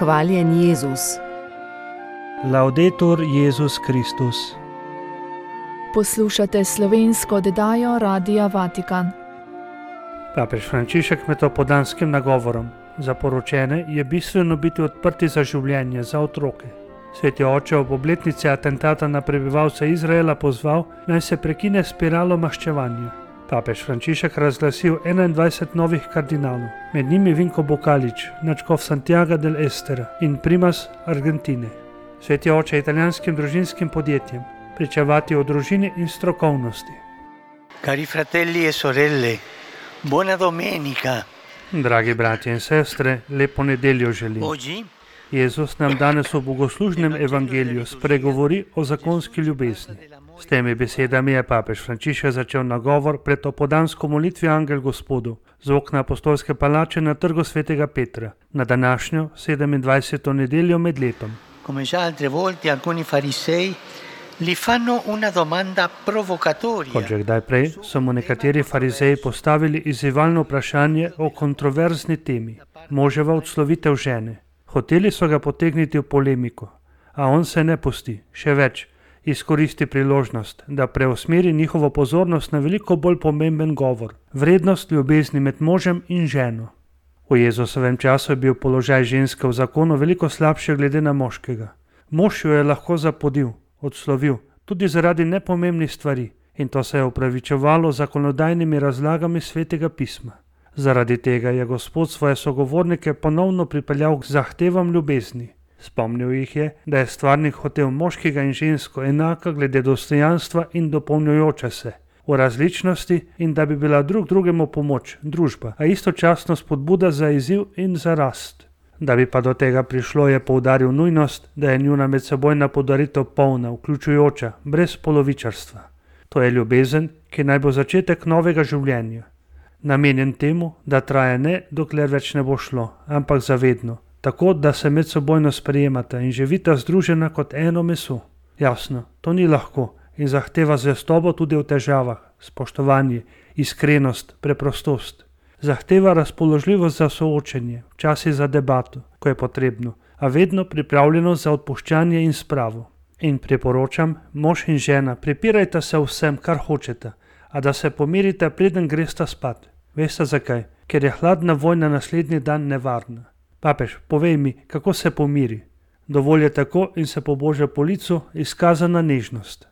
Hvaljen Jezus. Laudetur Jezus Kristus. Poslušate slovensko oddajo Radia Vatikan. Papež Frančišek med opoldanskim nagovorom za poročene je bistveno biti odprti za življenje, za otroke. Sveti oče ob obletnici atentata na prebivalce Izraela pozval, naj se prekine spiralo maščevanja. Papež Frančišek razglasil 21 novih kardinalov, med njimi Vinko Bokalič, nadškof Santiago del Estera in primas Argentine. Sveti oče italijanskim družinskim podjetjem pričevati o družini in strokovnosti. Cari fratelli e sorelle, buona domenica. Dragi bratje in sestre, lepo nedeljo želim. Oggi Jezus nam danes v bogoslužnem evangeliju spregovori o zakonski ljubezni. S temi besedami je papež Frančišek začel nagovor pred opoldansko molitvijo Angel Gospodu z okna apostolske palače na trgu svetega Petra na današnjo 27. nedeljo med letom. Come già altre volte alcuni farisei gli fanno una domanda provocatoria. Kot že kdaj prej so mu nekateri farizeji postavili izzivalno vprašanje o kontroverzni temi, moževa odslovitev žene. Hoteli so ga potegniti v polemiko, a on se ne pusti, še več, izkoristi priložnost, da preusmeri njihovo pozornost na veliko bolj pomemben govor, vrednost ljubezni med možem in ženo. V Jezusovem času je bil položaj ženske v zakonu veliko slabši glede na moškega. Mož jo je lahko zapodil, odslovil, tudi zaradi nepomembnih stvari, in to se je upravičevalo z zakonodajnimi razlagami svetega pisma. Zaradi tega je Gospod svoje sogovornike ponovno pripeljal k zahtevam ljubezni. Spomnil jih je, da je stvarnik hotel moškega in žensko enaka glede dostojanstva in dopolnjujoče se, v različnosti in da bi bila drug drugemu pomoč, družba, a istočasno spodbuda za izziv in za rast. Da bi pa do tega prišlo, je poudaril nujnost, da je njuna medsebojna podaritev polna, vključujoča, brez polovičarstva. To je ljubezen, ki naj bo začetek novega življenja. Namenjen temu, da traja ne, dokler več ne bo šlo, ampak zavedno, tako da se medsebojno sprejemata in živita združena kot eno meso. Jasno, to ni lahko in zahteva zvestobo tudi v težavah, spoštovanje, iskrenost, preprostost. Zahteva razpoložljivost za soočenje, včasih za debato, ko je potrebno, a vedno pripravljenost za odpuščanje in spravo. In priporočam, mož in žena, prepirajta se vsem, kar hočete, a da se pomirite, preden gresta spat. Veste zakaj? Ker je hladna vojna naslednji dan nevarna. Papež, povej mi, kako se pomiri. Dovolj je tako in se poboža po licu izkazana nežnost.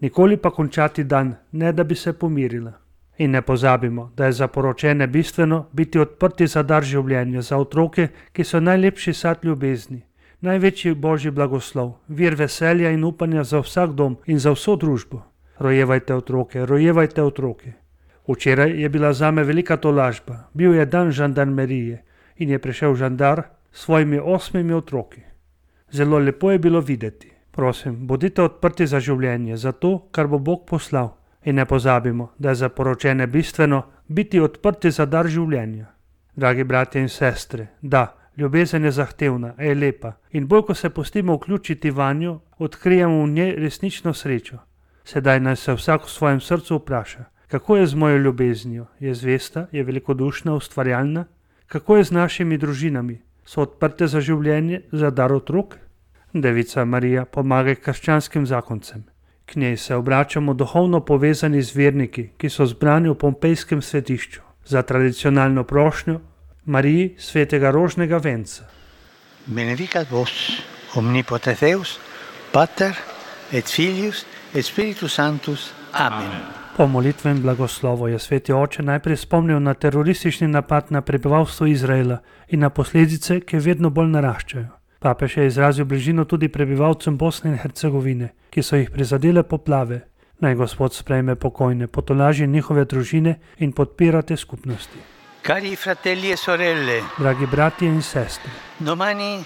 Nikoli pa končati dan, ne da bi se pomirila. In ne pozabimo, da je za poročene bistveno biti odprti za dar življenja, za otroke, ki so najlepši sad ljubezni, največji božji blagoslov, vir veselja in upanja za vsak dom in za vso družbo. Rojevajte otroke, rojevajte otroke. Včeraj je bila zame velika tolažba, bil je dan žandarmerije in je prišel žandar s svojimi 8 otroki. Zelo lepo je bilo videti. Prosim, bodite odprti za življenje, za to, kar bo Bog poslal. In ne pozabimo, da je za poročene bistveno biti odprti za dar življenja. Dragi bratje in sestre, da, ljubezen je zahtevna, a je lepa in bolj, ko se pustimo vključiti vanjo, odkrijemo v njej resnično srečo. Sedaj naj se vsak v svojem srcu vpraša, kako je z mojo ljubeznijo, je zvesta, je velikodušna, ustvarjalna? Kako je z našimi družinami, so odprte za življenje, za dar otrok? Devica Marija, pomagaj krščanskim zakoncem. K njej se obračamo duhovno povezani z verniki, ki so zbrani v Pompejskem svetišču, za tradicionalno prošnjo Mariji svetega rožnega venca. Benedicat vos, omnipotens Deus, Pater et Filius et Spiritus Sanctus. Amen. Po molitvenem blagoslovu je sveti oče najprej spomnil na teroristični napad na prebivalstvo Izraela in na posledice, ki vedno bolj naraščajo. Papež je izrazil bližino tudi prebivalcem Bosne in Hercegovine, ki so jih prizadele poplave. Naj Gospod sprejme pokojne, potolaži njihove družine in podpira te skupnosti. Cari fratelli e sorelle, Dragi bratje in sestre, domani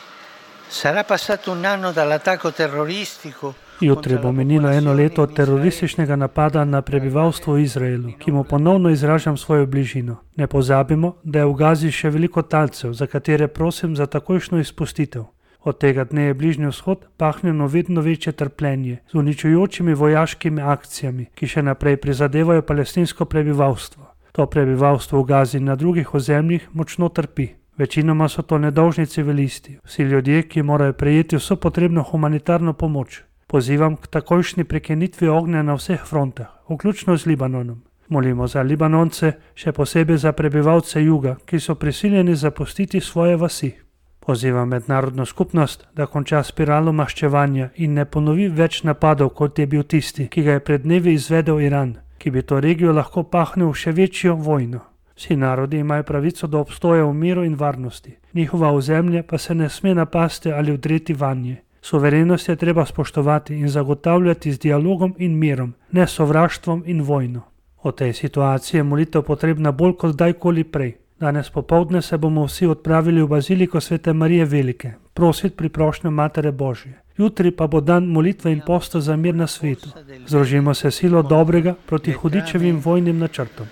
sarà passato un anno dall'attacco terroristico. jutri bo minilo 1 leto od terorističnega napada na prebivalstvo v Izraelu, ki mu ponovno izražam svojo bližino. Ne pozabimo, da je v Gazi še veliko talcev, za katere prosim za takojšnjo izpustitev. Od tega dne je Bližnji vzhod pahnjeno vedno večje trpljenje z uničujočimi vojaškimi akcijami, ki še naprej prizadevajo palestinsko prebivalstvo. To prebivalstvo v Gazi in na drugih ozemljih močno trpi. Večinoma so to nedolžni civilisti, vsi ljudje, ki morajo prejeti vso potrebno humanitarno pomoč. Pozivam k takojšnji prekinitvi ognja na vseh frontah, vključno z Libanonom. Molimo za Libanonce, še posebej za prebivalce juga, ki so prisiljeni zapustiti svoje vasi. Pozivam mednarodno skupnost, da konča spiralo maščevanja in ne ponovi več napadov, kot je bil tisti, ki ga je pred dnevi izvedel Iran, ki bi to regijo lahko pahnil v še večjo vojno. Vsi narodi imajo pravico do obstoja v miru in varnosti, njihova ozemlja pa se ne sme napasti ali vdreti vanje. Suverenost je treba spoštovati in zagotavljati z dialogom in mirom, ne sovraštvom in vojno. O tej situaciji je molitev potrebna bolj kot kdajkoli prej. Danes popoldne se bomo vsi odpravili v baziliko Svete Marije Velike, prositi pri prošnjo Matere Božje. Jutri pa bo dan molitve in posta za mir na svetu. Združimo se silo dobrega proti hudičevim vojnim načrtom.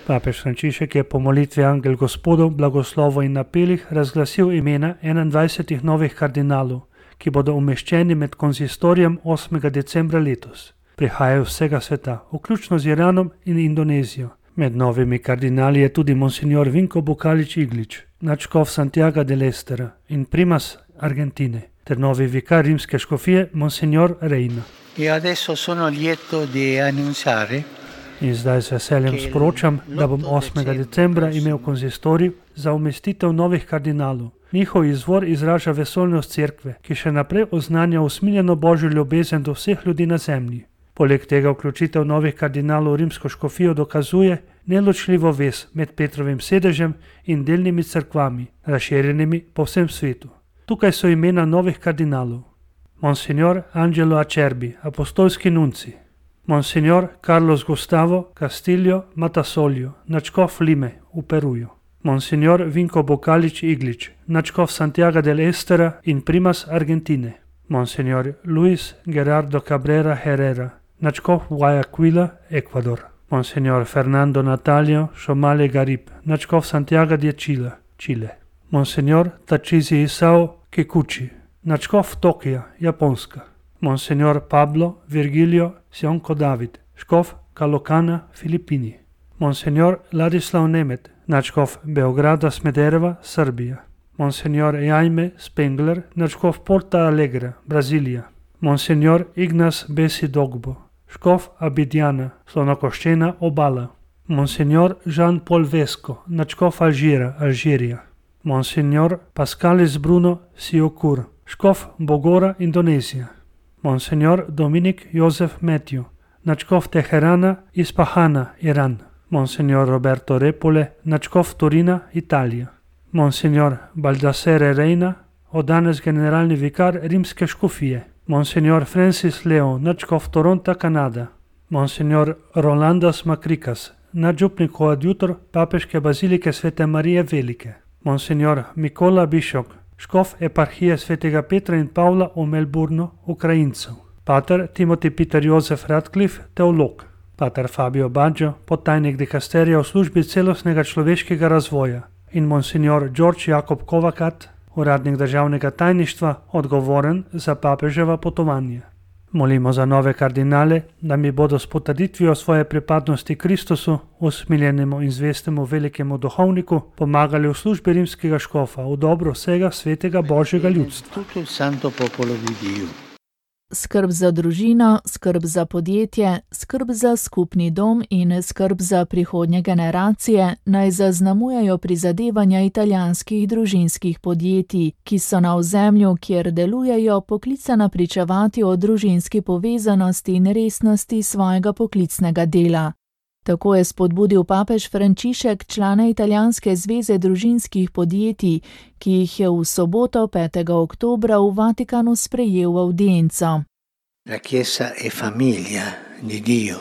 Papež Frančišek je po molitvi Angel Gospodov, blagoslovu in napelih razglasil imena 21 novih kardinalov, ki bodo umeščeni med konzistorijem 8. decembra letos. Prihajajo vsega sveta, vključno z Iranom in Indonezijo. Med novimi kardinali je tudi monsignor Vinko Bukalić Iglić, nadškof Santiaga del Estera in primas Argentine, ter novi vikar rimske škofije monsignor Reina. In zdaj z veseljem sporočam, da bom 8. decembra imel konzistorij za umestitev novih kardinalov. Njihov izvor izraža vesoljnost cerkve, ki še naprej oznanja usmiljeno božjo ljubezen do vseh ljudi na zemlji. Poleg tega vključitev novih kardinalov v rimsko škofijo dokazuje neločljivo vez med Petrovim sedežem in delnimi cerkvami, razširjenimi po vsem svetu. Tukaj so imena novih kardinalov. Monsignor Angelo Acerbi, apostolski nunci. Monsignor Carlos Gustavo Castillo Matasolio, nadškof Lime v Peruju. Monsignor Vinko Bukalić Iglić, nadškof Santiaga del Estera in primas Argentine. Monsignor Luis Gerardo Cabrera Herrera, nadškof Guayaquila, Ecuador. Monsignor Fernando Natalio Shomale Garib, nadškof Santiago de Chile, Chile. Monsignor Tachizi Isao Kikuchi, nadškof Tokija, Japonska. Monsignor Pablo Virgilio Sionko David, škof Kalokana, Filipini. Monsignor Ladislav Nemet, nadškof Beograda Smedereva, Srbija. Monsignor Jaime Spengler, nadškof Porta Alegre, Brazilija. Monsignor Ignas Besi Dogbo, škof Abidjana, Slonokoščena obala. Monsignor Jean-Paul Vesco, nadškof Alžira, Alžirija. Monsignor Pascalis Bruno Siokur, škof Bogora, Indonezija. Monsignor Dominik Jozef Matthew, nadškof Teherana, Ispahana, Iran. Monsignor Roberto Repole, nadškof Torina, Italija. Monsignor Baldassare Reina, od danes generalni vikar rimske škofije. Monsignor Francis Leo, nadškof Toronta, Kanada. Monsignor Rolandas Makrikas, nadžupnik koadjutor papeške bazilike Svete Marije Velike. Monsignor Mikola Bišok, škof eparhije Svetega Petra in Pavla v Melbournu, Ukrajincev. Pater Timothy Peter Jozef Radcliffe, teolog. Pater Fabio Baggio, podtajnik dikasterija v službi celostnega človeškega razvoja. In monsignor George Jakob Kovakat, uradnik državnega tajništva, odgovoren za papeževa potovanja. Molimo za nove kardinale, da mi bodo s potrditvijo svoje pripadnosti Kristusu, usmiljenemu in zvestemu velikemu duhovniku, pomagali v službi rimskega škofa v dobro vsega svetega Božjega ljudstva. Skrb za družino, skrb za podjetje, skrb za skupni dom in skrb za prihodnje generacije naj zaznamujejo prizadevanja italijanskih družinskih podjetij, ki so na ozemlju, kjer delujejo, poklicana pričevati o družinski povezanosti in resnosti svojega poklicnega dela. Tako je spodbudil papež Frančišek člane Italijanske zveze družinskih podjetij, ki jih je v soboto 5. oktobra v Vatikanu sprejel v avdienco. La Chiesa è famiglia di Dio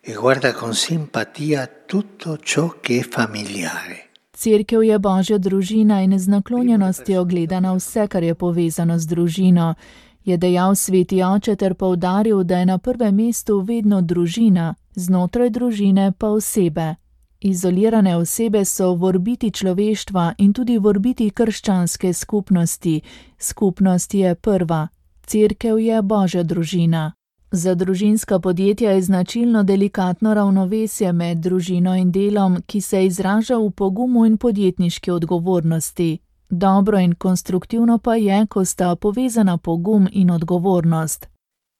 e guarda con simpatia tutto ciò che è familiare. Cerkev je Božja družina in z naklonjenostjo gleda na vse, kar je povezano z družino, je dejal sveti oče ter poudaril, da je na prvem mestu vedno družina, znotraj družine pa osebe. Izolirane osebe so v orbiti človeštva in tudi v orbiti krščanske skupnosti. Skupnost je prva. Cerkev je Božja družina. Za družinska podjetja je značilno delikatno ravnovesje med družino in delom, ki se izraža v pogumu in podjetniški odgovornosti. Dobro in konstruktivno pa je, ko sta povezana pogum in odgovornost.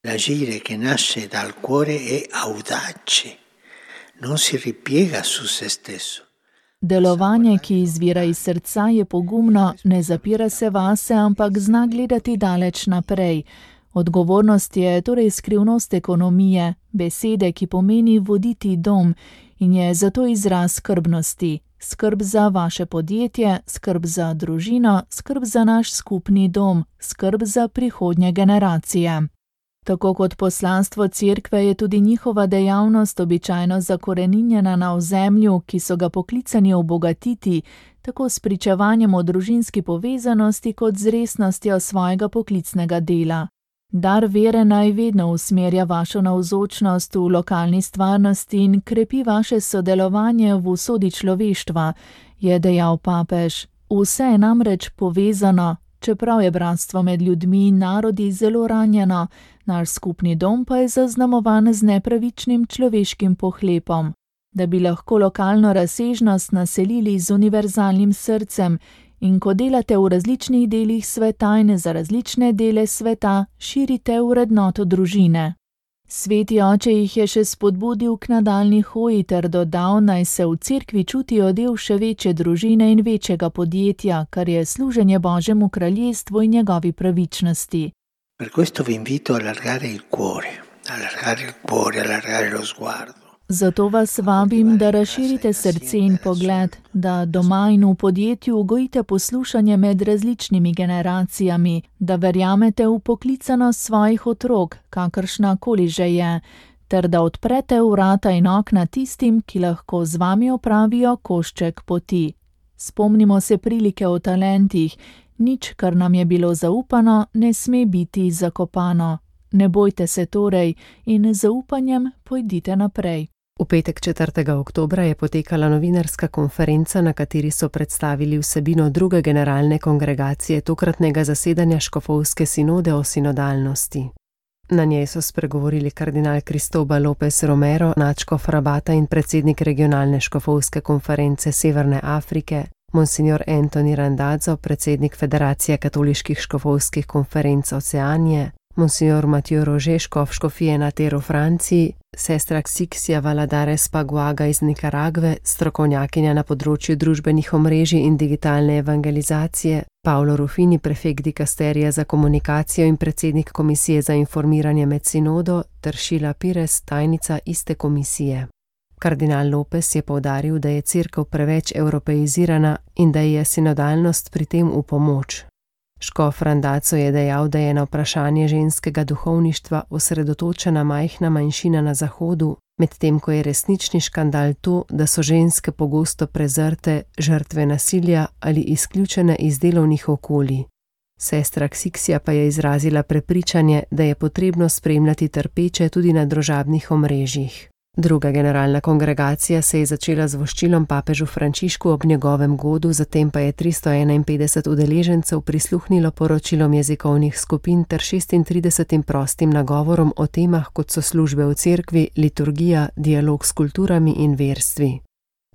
L'agire che nasce dal cuore è audace, non si ripiega su se stesso. Delovanje, ki izvira iz srca, je pogumno, ne zapira se vase, ampak zna gledati daleč naprej. Odgovornost je torej skrivnost ekonomije, besede, ki pomeni voditi dom in je zato izraz skrbnosti. Skrb za vaše podjetje, skrb za družino, skrb za naš skupni dom, skrb za prihodnje generacije. Tako kot poslanstvo cerkve je tudi njihova dejavnost običajno zakoreninjena na ozemlju, ki so ga poklicani obogatiti, tako s pričevanjem o družinski povezanosti kot z resnostjo svojega poklicnega dela. Dar vere naj vedno usmerja vašo navzočnost v lokalni stvarnosti in krepi vaše sodelovanje v usodi človeštva, je dejal papež. Vse je namreč povezano, čeprav je bratstvo med ljudmi in narodi zelo ranjeno, naš skupni dom pa je zaznamovan z nepravičnim človeškim pohlepom. Da bi lahko lokalno razsežnost naselili z univerzalnim srcem, in ko delate v različnih delih sveta in za različne dele sveta, širite vrednoto družine. Sveti oče jih je še spodbudil k nadaljnji hoji ter dodal, naj se v cerkvi čutijo del še večje družine in večjega podjetja, kar je služenje Božjemu kraljestvu in njegovi pravičnosti. Per questo vi invito a allargare il cuore, allargare lo sguardo. Zato vas vabim, da razširite srce in pogled, da doma in v podjetju gojite poslušanje med različnimi generacijami, da verjamete v poklicanost svojih otrok, kakršna koli že je, ter da odprete vrata in okna tistim, ki lahko z vami opravijo košček poti. Spomnimo se prilike o talentih, nič, kar nam je bilo zaupano, ne sme biti zakopano. Ne bojte se torej in z zaupanjem pojdite naprej. V petek 4. oktobra je potekala novinarska konferenca, na kateri so predstavili vsebino druge generalne kongregacije tokratnega zasedanja škofovske sinode o sinodalnosti. Na njej so spregovorili kardinal Cristóbal López Romero, nadškof Rabata in predsednik regionalne škofovske konference Severne Afrike, monsignor Anthony Randazzo, predsednik Federacije katoliških škofovskih konferenc Oceanije, monsignor Mathieu Roger, škof škofije Natero v Franciji, sestra Ksixia Valadares Paguaga iz Nikaragve, strokovnjakinja na področju družbenih omrežij in digitalne evangelizacije, Paolo Rufini, prefekt dikasterija za komunikacijo in predsednik komisije za informiranje med sinodo, ter Sheila Pires, tajnica iste komisije. Kardinal López je poudaril, da je cerkev preveč evropeizirana in da je sinodalnost pri tem v pomoč. Škof Randazzo je dejal, da je na vprašanje ženskega duhovništva osredotočena majhna manjšina na Zahodu, medtem ko je resnični škandal to, da so ženske pogosto prezrte, žrtve nasilja ali izključene iz delovnih okolij. Sestra Ksixia pa je izrazila prepričanje, da je potrebno spremljati trpeče tudi na družabnih omrežjih. Druga generalna kongregacija se je začela z voščilom papežu Frančišku ob njegovem godu, zatem pa je 351 udeležencev prisluhnilo poročilom jezikovnih skupin ter 36 prostim nagovorom o temah, kot so službe v cerkvi, liturgija, dialog s kulturami in verstvi.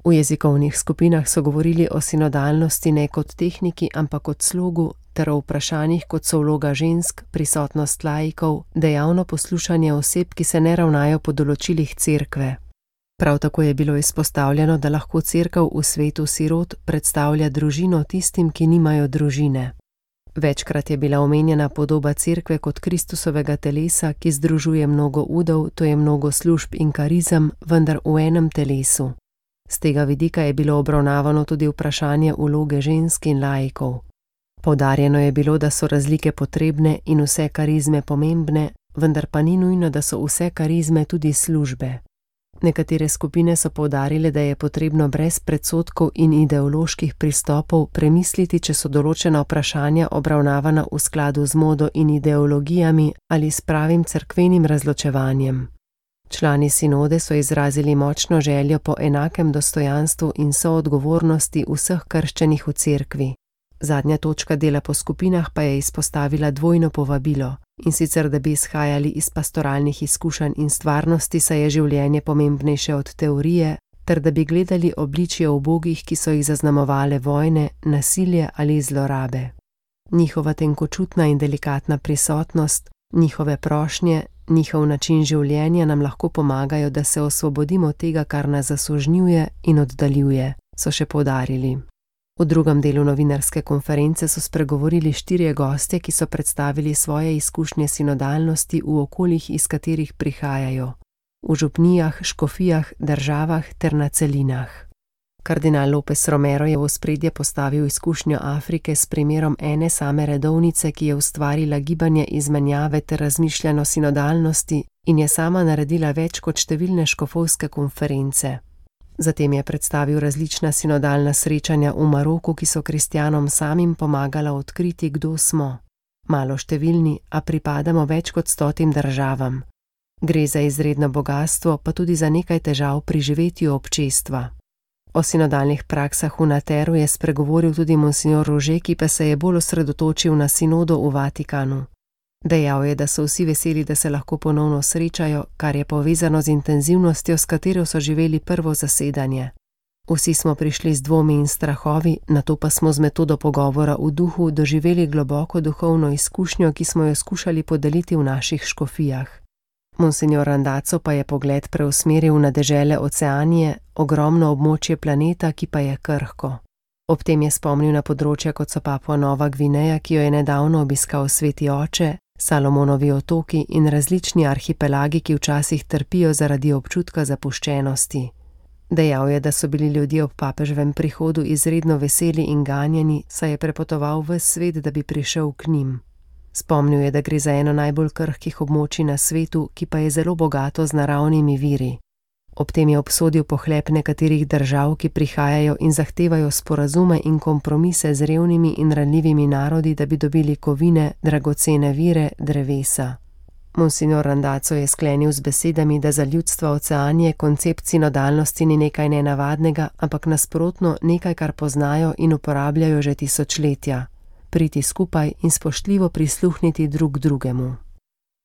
V jezikovnih skupinah so govorili o sinodalnosti ne kot tehniki, ampak kot slogu, ter o vprašanjih, kot so vloga žensk, prisotnost laikov, dejavno poslušanje oseb, ki se ne ravnajo po določilih cerkve. Prav tako je bilo izpostavljeno, da lahko cerkev v svetu sirot predstavlja družino tistim, ki nimajo družine. Večkrat je bila omenjena podoba cerkve kot Kristusovega telesa, ki združuje mnogo udov, to je mnogo služb in karizem, vendar v enem telesu. Z tega vidika je bilo obravnavano tudi vprašanje vloge žensk in laikov. Poudarjeno je bilo, da so razlike potrebne in vse karizme pomembne, vendar pa ni nujno, da so vse karizme tudi službe. Nekatere skupine so poudarile, da je potrebno brez predsodkov in ideoloških pristopov premisliti, če so določena vprašanja obravnavana v skladu z modo in ideologijami ali s pravim cerkvenim razločevanjem. Člani sinode so izrazili močno željo po enakem dostojanstvu in soodgovornosti vseh krščenih v cerkvi. Zadnja točka dela po skupinah pa je izpostavila dvojno povabilo. In sicer, da bi izhajali iz pastoralnih izkušenj in stvarnosti, saj je življenje pomembnejše od teorije, ter da bi gledali obličje ubogih, ki so jih zaznamovale vojne, nasilje ali zlorabe. Njihova tenkočutna in delikatna prisotnost, njihove prošnje, njihov način življenja nam lahko pomagajo, da se osvobodimo tega, kar nas zasužnjuje in oddaljuje, so še poudarili. V drugem delu novinarske konference so spregovorili 4 gostje, ki so predstavili svoje izkušnje sinodalnosti v okoljih, iz katerih prihajajo, v župnijah, škofijah, državah ter na celinah. Kardinal López Romero je v ospredje postavil izkušnjo Afrike s primerom ene same redovnice, ki je ustvarila gibanje izmenjave ter razmišljanja o sinodalnosti in je sama naredila več kot številne škofovske konference. Zatem je predstavil različna sinodalna srečanja v Maroku, ki so kristjanom samim pomagala odkriti, kdo smo. Malo številni, a pripadamo več kot 100 državam. Gre za izredno bogastvo, pa tudi za nekaj težav pri živetju občestva. O sinodalnih praksah v Nateru je spregovoril tudi monsignor Rože, ki pa se je bolj osredotočil na sinodo v Vatikanu. Dejal je, da so vsi veseli, da se lahko ponovno srečajo, kar je povezano z intenzivnostjo, s katero so živeli prvo zasedanje. Vsi smo prišli z dvomi in strahovi, nato pa smo z metodo pogovora v duhu doživeli globoko duhovno izkušnjo, ki smo jo skušali podeliti v naših škofijah. Monsignor Randazzo pa je pogled preusmeril na dežele Oceanije, ogromno območje planeta, ki pa je krhko. Ob tem je spomnil na področja, kot so Papua Nova Gvineja, ki jo je nedavno obiskal Sveti oče, Salomonovi otoki in različni arhipelagi, ki včasih trpijo zaradi občutka zapuščenosti. Dejal je, da so bili ljudje ob papeževem prihodu izredno veseli in ganjeni, saj je prepotoval ves svet, da bi prišel k njim. Spomnil je, da gre za eno najbolj krhkih območij na svetu, ki pa je zelo bogato z naravnimi viri. Ob tem je obsodil pohlep nekaterih držav, ki prihajajo in zahtevajo sporazume in kompromise z revnimi in ranljivimi narodi, da bi dobili kovine, dragocene vire, drevesa. Monsignor Randazzo je sklenil z besedami, da za ljudstva Oceanije koncept sinodalnosti ni nekaj nenavadnega, ampak nasprotno nekaj, kar poznajo in uporabljajo že tisočletja. Priti skupaj in spoštljivo prisluhniti drug drugemu.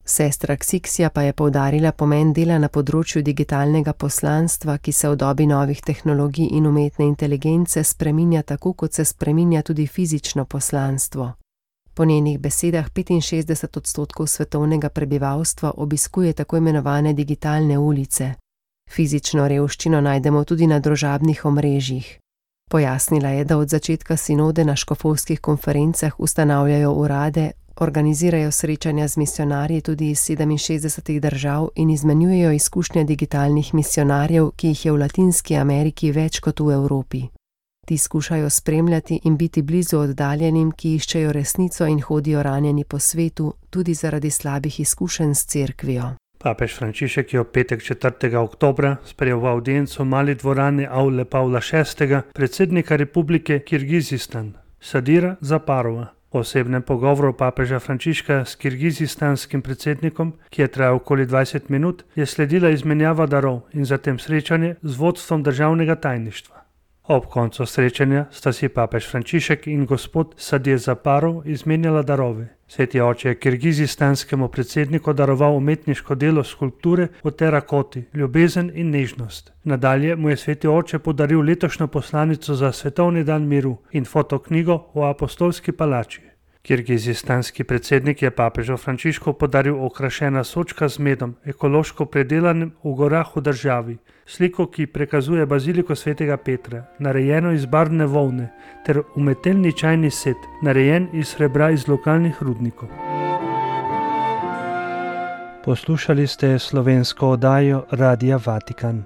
Sestra Ksiksija pa je poudarila pomen dela na področju digitalnega poslanstva, ki se v dobi novih tehnologij in umetne inteligence spreminja tako, kot se spreminja tudi fizično poslanstvo. Po njenih besedah 65% svetovnega prebivalstva obiskuje tako imenovane digitalne ulice. Fizično revščino najdemo tudi na družabnih omrežjih. Pojasnila je, da od začetka sinode na škofovskih konferencah ustanavljajo urade, organizirajo srečanja z misionarji tudi iz 67 držav in izmenjujejo izkušnje digitalnih misionarjev, ki jih je v Latinski Ameriki več kot v Evropi. Ti skušajo spremljati in biti blizu oddaljenim, ki iščejo resnico in hodijo ranjeni po svetu, tudi zaradi slabih izkušenj s cerkvijo. Papež Frančišek je v petek 4. oktobra sprejel v avdienco v mali dvorani Avle Pavla VI. Predsednika Republike Kirgizistan, Sadira Zaparova. V osebnem pogovoru papeža Frančiška s kirgizistanskim predsednikom, ki je trajal okoli 20 minut, je sledila izmenjava darov in zatem srečanje z vodstvom državnega tajništva. Ob koncu srečanja sta si papež Frančišek in gospod Sadir Zaparov izmenjala darove. Sveti oče je kirgizistanskemu predsedniku daroval umetniško delo skulpture v terakoti, ljubezen in nežnost. Nadalje mu je sveti oče podaril letošnjo poslanico za svetovni dan miru in fotoknjigo o apostolski palači. Kirgizistanski predsednik je papežu Frančišku podaril okrašena sočka z medom, ekološko predelanim v gorah v državi, sliko, ki prikazuje baziliko svetega Petra, narejeno iz barvne volne, ter umetelni čajni set, narejen iz srebra iz lokalnih rudnikov. Poslušali ste slovensko oddajo Radia Vatikan.